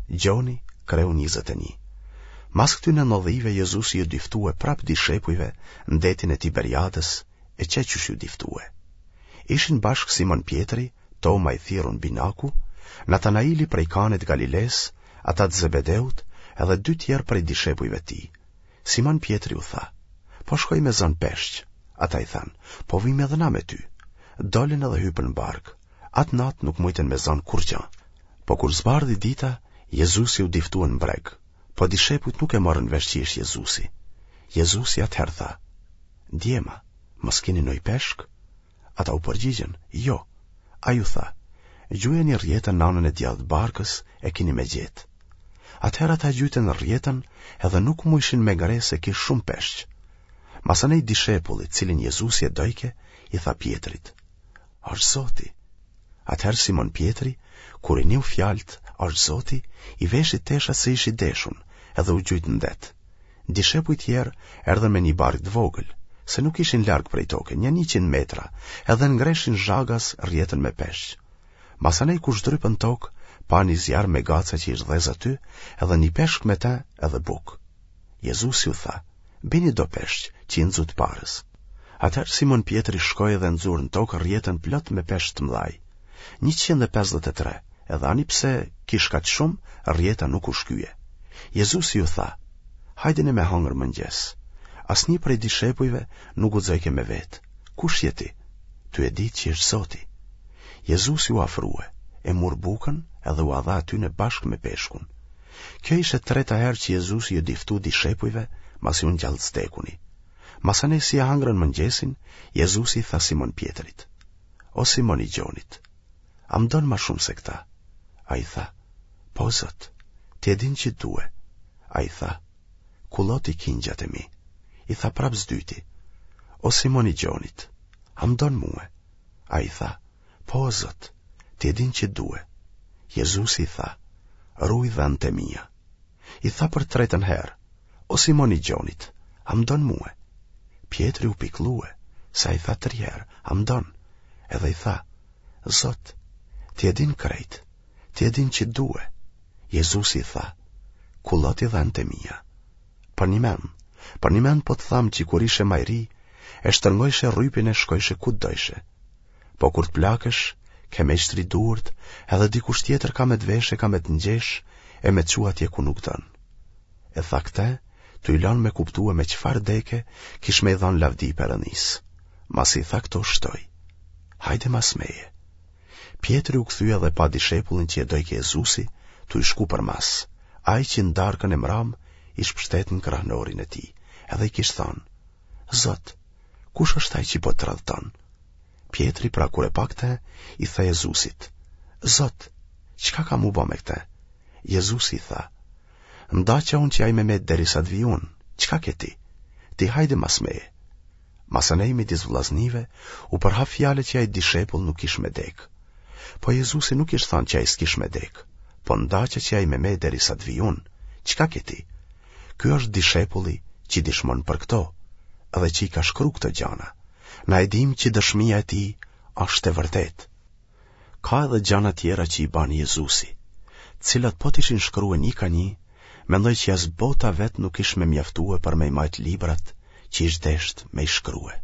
Gjoni, kreu 21. Mas këtyne ndodhive Jezusi ju diftue prapë dishepujve në detin e Tiberiadës e qe qysh ju diftue. Ishin bashkë Simon Pjetri, Toma i thirrun Binaku, Natanaili prej Kanit Galilesë, ata të Zebedeut, edhe dy tjerë prej dishepujve të tij. Simon Pjetri u tha, Po shkoj me zënë peshq. Ata i thanë, Po vijmë edhe na me ty. Dolën edhe hypën në barkë. Atë natë nuk mujtën me zënë kurrgjë. Po kur zbardhi dita, Jezusi u diftue në breg, po dishepujt nuk e morën vesh që ish Jezusi. Jezusi atëherë tha, Djema, mos kini noj peshk? Ata u përgjigjën, Jo. Ai u tha, Gjujeni rrjetën në anën e djathtë barkës e kini me gjetë. Atëherë ata gjujtën rrjetën edhe nuk mujshin me ngre se kish shumë peshq. Masanej dishepulli, cilin Jezusi e dojke, i tha Pjetrit, Është Zoti. Atëherë Simon Pjetri, kur i niu fjalët, është Zoti, i veshi teshat se ish i deshun, edhe u gjujt në det. Dishepujt tjerë erdhën me një barkë të vogël, se nuk ishin larg prej toke, nja 100 metra, edhe ngreshin zhagaz rrjetën me peshq. Masanej kur zhdrypën n'tokë, pa një zjarr me gaca që ish dhezë aty, edhe një peshk me te edhe bukë. Jezusi u tha, bini do peshq që i nxutë parës. Atëherë Simon Pjetri shkoi dhe nxuri në tokë rrjetën plot me peshq të mëdhaj. 153, edhe ani pse kish kaq shumë, rrjeta nuk u shkye. Jezusi ju tha, hajdeni me hangër mëngjes. Asnjë prej dishepujve nuk guxojke me vetë. Kush je ti? Tu e ditë që është Zoti. Jezusi u afrue, e mur bukën edhe ua dha atyne bashkë me peshkun. Kjo ishte e treta herë që Jezusi ju diftu dishepujve masi u ngjall s'vdekuni. Masanej si e hangrën mëngjesin, Jezusi i tha Simon Pjetrit, O Simon i Gjonit, a më don ma shumë se këta? Ai tha, Po, Zot, ti e din që të due. Ai tha, Kulloti kingjat e mi. I tha prapë s'dyti, O Simon i Gjonit, a më don mue? Ai tha, Po, Zot, ti e din që të due. Jezusi i tha, Ruj dhentë e mia. I tha për tretën herë, O Simon i Gjonit, a më don mue? Pjetri u pikllue, se ai tha tri herë, a më don? Edhe i tha, Zot, ti e din krejt, ti e din që të due. Jezusi i tha, kulloti dhentë e mia. Përnjëmend, përnjëmend po të tham që kur ishe ma i ri, e shtërngojshe rrypin e shkojshe ku të dojshe. Po kur të plakesh, ke me shtri duart, edhe dikush tjetër ka me të veshë e ka me të ngjesh e me të çu atje ku nuk don. E tha këte, tu i lanë me kuptue me çfarë deke kish me i dhanë lavdi Perëndisë. Masi i tha këto shtoi. Hajde mas meje. Pjetri u kthye dhe pa dishepullin që e dojke Jezusi, tu i shku përmas, ai që në darkën e mramë ish pështet në krahnorin e tij, edhe i kish thanë, Zot, kush është ai që po të tradhton? Pjetri pra kur e pa këtë, i tha Jezusit, Zot, çka kam m'u bo me këtë? Jezusi i tha, Ndaqa unë që ai me met derisa të vij unë, çka ke ti? Ti hajde mas meje. Masanej midis vllaznive, u përhap fjala që ai dishepull nuk kish me dekë. Po Jezusi nuk kish thanë që ai s'kish me dekë, po ndaqa që ai me met derisa të vij unë, çka ke ti? Ky është dishepulli që dishmon për këto, edhe që i ka shkru këto gjana. Na e dimë që dëshmia e tij është e vërtetë. Ka edhe gjana tjera që i bani Jezusi, të cilat po t'ishin shkrue një ka një, mendoj që as bota vetë nuk ish me mjaftue për me i majtë librat që ish desht me i shkrue.